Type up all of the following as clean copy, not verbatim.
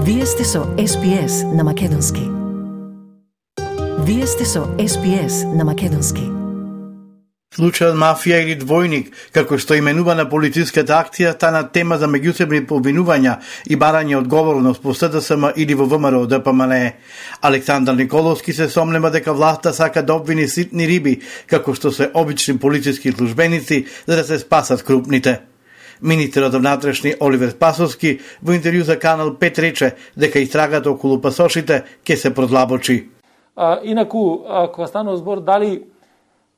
Вие сте со SPS на Македонски. Вие сте со SPS на Македонски. Случајот мафија или двојник, како што именувана полициската акција, стана тема за меѓусебни повинувања и барање одговорност по СДСМ или во ВМРО ДПМНЕ. Александар Николовски се сомнема дека власта сака да обвини ситни риби, како што се обични полициски службеници, за да се спасат крупните. Министерот за внатрешни Оливер Спасовски во интервју за Канал 5 рече дека истрагата околу пасошите ќе се продлабочи. Инаку, кога станува збор дали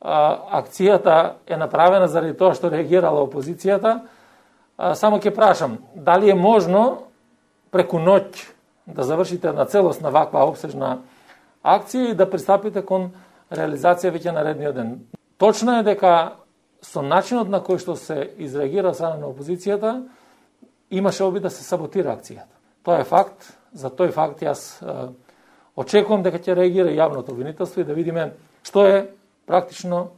акцијата е направена заради тоа што реагирала опозицијата, само ќе прашам, дали е можно преку ноќ да завршите една целосна ваква опсежна акција и да пристапите кон реализација веќе наредниот ден. Точно е дека со начинот на кој што се изреагира страна на опозицијата, имаше обид да се саботира акцијата. Тоа е факт, за тој факт јас очекувам дека ќе реагира јавното обвинителство и да видиме што е практично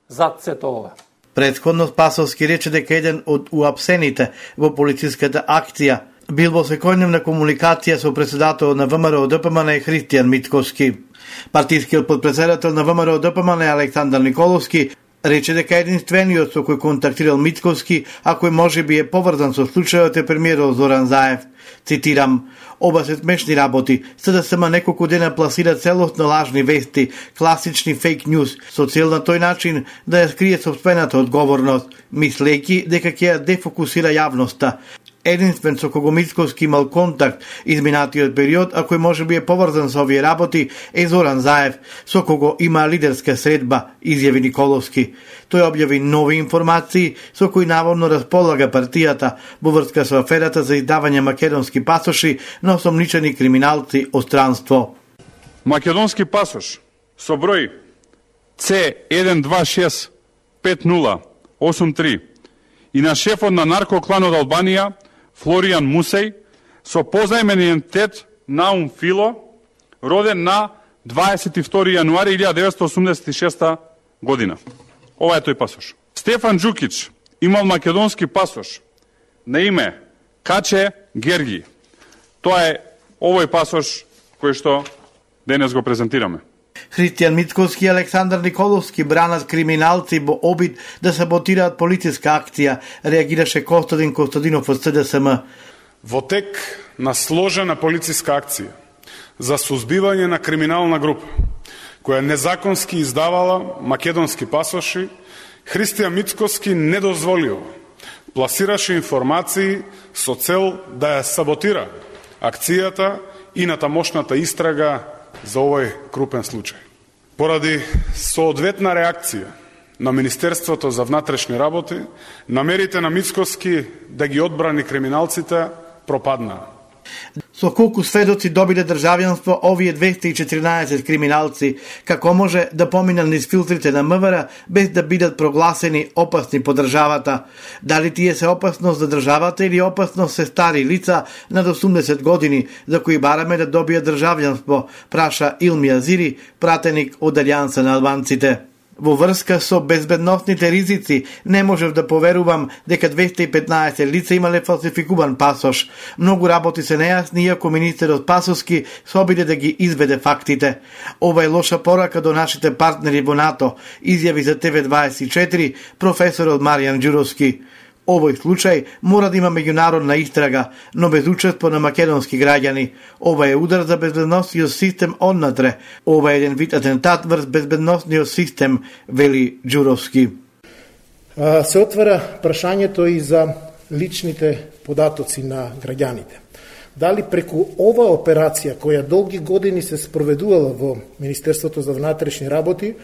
зад сето ова. Претходно Спасовски рече дека еден од уапсените во полициската акција бил во секојдневна комуникација со председателот на ВМРО ДПМНЕ Христијан Мицковски. Партискиот подпредседател на ВМРО ДПМНЕ Александар Николовски рече дека единствениот со кој контактирал Мицковски, а кој можеби е поврзан со случајот е премиерот Зоран Заев. Цитирам: "Оба се смешни работи, СДСМ неколку дена пласира целосно лажни вести, класични фейк ньюс, со цел на тој начин да ја скрие сопствената одговорност, мислејќи дека ќе ја дефокусира јавноста. Единствен со кого Мицковски имал контакт изминатиот период, а кој можеби е поврзан со овие работи, е Зоран Заев, со кого има лидерска средба", изјави Николовски. Тој објави нови информации со кои наводно располага партијата во врска со аферата за издавање македонски пасоши на осомничени криминалци од странство. Македонски пасош со број C126508 и на шефот на наркокланот Албанија Флоријан Мусеј со позајмен идентитет Наум Фило, роден на 22 јануари 1986 година. Ова е тој пасош. Стефан Джукич имал македонски пасош на име Каче Герги. Тоа е овој пасош кој што денес го презентираме. Христијан Мицковски и Александар Николовски бранат криминалци во обид да саботираат полициска акција, реагираше Костадин Костадинов од СДСМ. Во тек на сложена полициска акција за сузбивање на криминална група, која незаконски издавала македонски пасоши, Христијан Мицковски не дозволил, пласираше информации со цел да ја саботира акцијата и натамошната истрага за овој крупен случај. Поради соодветна реакција на Министерството за внатрешни работи, намерите на Мицковски да ги одбрани криминалците пропаднаа. Со колку сведоци добиле државјанство овие 214 криминалци, како може да поминат низ филтрите на МВР без да бидат прогласени опасни по државата? Дали тие се опасност за државата или опасност се стари лица над 80 години за кои бараме да добијат државјанство, праша Илми Азири, пратеник од Алијанса на албанците. Во врска со безбедносните ризици, не можев да поверувам дека 215 лица имале фалсификуван пасош. Многу работи се нејасни, иако министерот Спасовски се обиде да ги изведе фактите. Ова е лоша порака до нашите партнери во НАТО, изјави за TV24 професорот Маријан Ѓуровски. Овој случај мора да има меѓународна истрага, но без учество на македонски граѓани. Ова е удар за безбедносниот систем однатре. Ова е еден вид атентат врз безбедносниот систем, вели Ѓуровски. Се отвара прашањето и за личните податоци на граѓаните. Дали преку ова операција, која долги години се спроведувала во Министерството за внатрешни работи,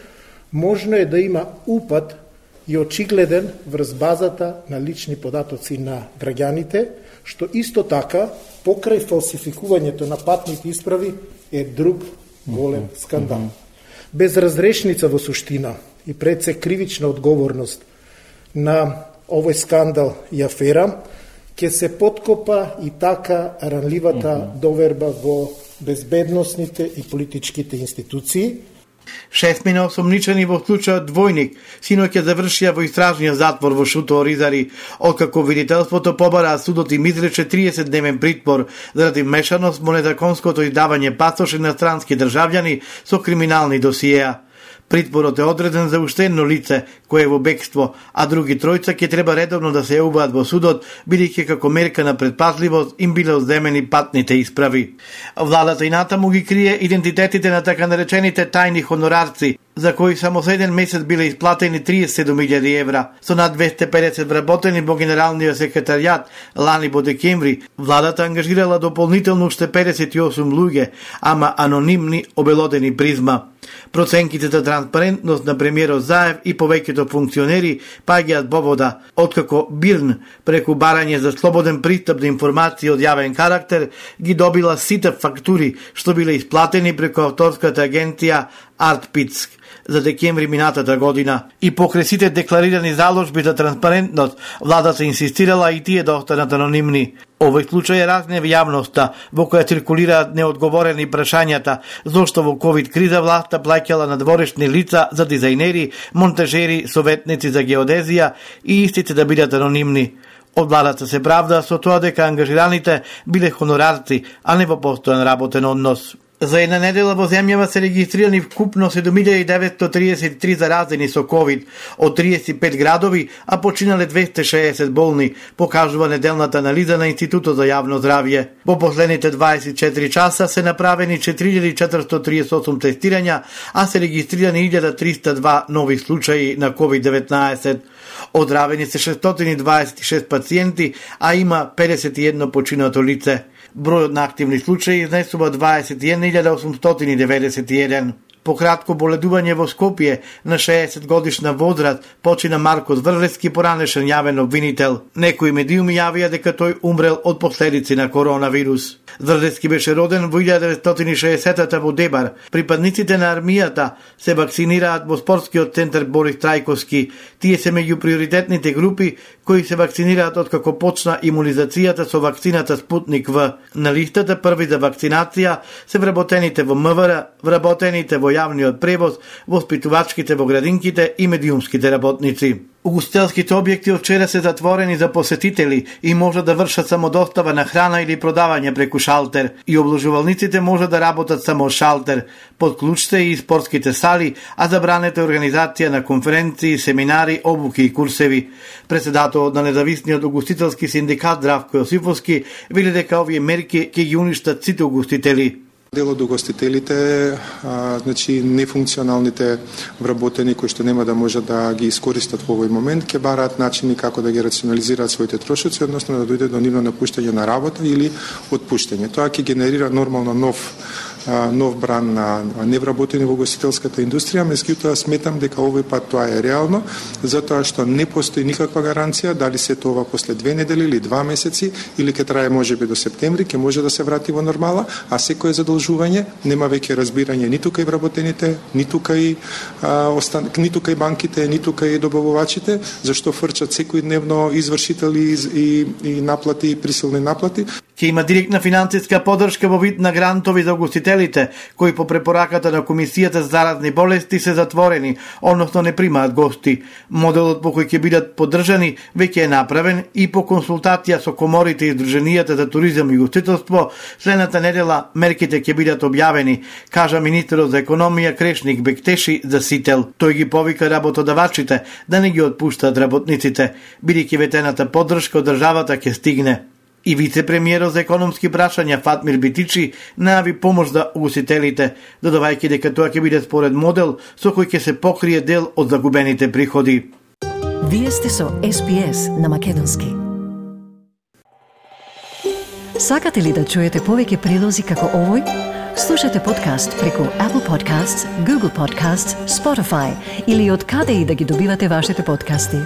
можно е да има упад и очигледен врз базата на лични податоци на граѓаните, што исто така, покрај фалсификувањето на патните исправи, е друг голем скандал. Без разрешница во суштина и пред се кривична одговорност на овој скандал и афера, ќе се подкопа и така ранливата доверба во безбедносните и политичките институции. 6 осомничени во случајот Двојник синоќа завршија во истражниот затвор во Шуто Оризари, откако видителството побара судот им изрече 30-дневен притвор заради мешаност во незаконското издавање пасоши на странски државјани со криминални досиеа. Притворот е одреден за уште едно лице кое е во бегство, а други тројца ќе треба редовно да се јавуваат во судот, бидејќи како мерка на предпазливост им биле одземени патните исправи. Владата и натаму ги крие идентитетите на така наречените тајни хонорарци, за кои само за еден месец биле исплатени 37.000 евра. Со над 250 вработени во Генералниот секретаријат лани во декември, владата ангажирала дополнително уште 58 луѓе, ама анонимни, обелодени призма. Проценките за транспарентност на премиерот Заев и повеќето функционери паѓаат во вода, откако Бирн, преку барање за слободен пристап до информации од јавен карактер, ги добила сите фактури што биле исплатени преку авторската агенција Артпицк за декември минатата година. И покрај сите декларирани заложби за транспарентност, владата инсистирала и тие да останат анонимни. Овој случај е разнев јавноста, во која циркулираат неодговорени прашањата, зошто во ковид криза власта плаќала надворешни лица за дизајнери, монтажери, советници за геодезија и истите да бидат анонимни. Од владата се правда со тоа дека ангажираните биле хонорарци, а не во постојан работен однос. За една недела во земјава се регистрирани вкупно 7933 заразени со ковид од 35 градови, а починале 260 болни, покажува неделната анализа на Институтот за јавно здравје. Во последните 24 часа се направени 4438 тестирања, а се регистрирани 1302 нови случаи на COVID-19. Оздравени се 626 пациенти, а има 51 починато лице. Бројот на активни случаи изнесува 21.891. Пократко боледување во Скопје на 60 годишна возраст почина Марко Зврлевски, поранешен јавен обвинител. Некои медиуми јавија дека тој умрел од последици на коронавирус. Зврлевски беше роден во 1960-та во Дебар. Припадниците на армијата се вакцинираат во спортскиот центар Борис Трајковски. Тие се меѓу приоритетните групи кои се вакцинираат откако почна имунизацијата со вакцината Спутник В. На листата први за вакцинација се вработените во МВР, вработените во јавниот превоз, воспитувачките во градинките и медиумските работници. Угостителските објекти од вчера се затворени за посетители и може да вршат само достава на храна или продавање преку шалтер. И обложувалниците може да работат само шалтер. Под клуч се и спортските сали, а забранета организација на конференции, семинари, обуки и курсеви. Председателот на независниот угостителски синдикат Здравко Јосифовски вели дека овие мерки ќе ги уништат сите угостители. Дел од угостителите, значи нефункционалните вработени кои што нема да можат да ги искористат во овој момент, ќе бараат начини како да ги рационализираат своите трошоци, односно да дојде до нивно напуштање на работа или отпуштање. Тоа ќе генерира нормално нов бран на невработени во угостителската индустрија, меѓутоа сметам дека овој пат тоа е реално, затоа што не постои никаква гаранција дали се тоа после 2 недели или 2 месеци или ќе трае можеби до септември, ќе може да се врати во нормала, а секое задолжување нема веќе разбирање ниту кај вработените, ниту кај банките, ниту кај добавувачите, зашто фрчат секојдневно извршители и наплати, присилни наплати. Ќе има директна финансиска поддршка во вид на грантови за угостителите, кои по препораката на Комисијата за заразни болести се затворени, односно не примаат гости. Моделот по кој ќе бидат поддржани веќе е направен и по консултација со коморите и Сдруженијата за туризам и угостителство, следната недела мерките ќе бидат објавени, кажа министерот за економија Крешник Бектеши за Сител. Тој ги повика работодавачите да не ги отпуштат работниците, бидејќи ветената поддршка од државата ќе стигне. И вице-премиерот за економски прашања Фатмир Битичи најави помош за угостителите, додавајќи дека тоа ќе биде според модел со кој ќе се покрие дел од загубените приходи. Вие сте со SPS на македонски. Сакате ли да чуете повеќе прилози како овој? Слушате подкаст преку Apple Podcasts, Google Podcasts, Spotify или од каде и да ги добивате вашите подкасти.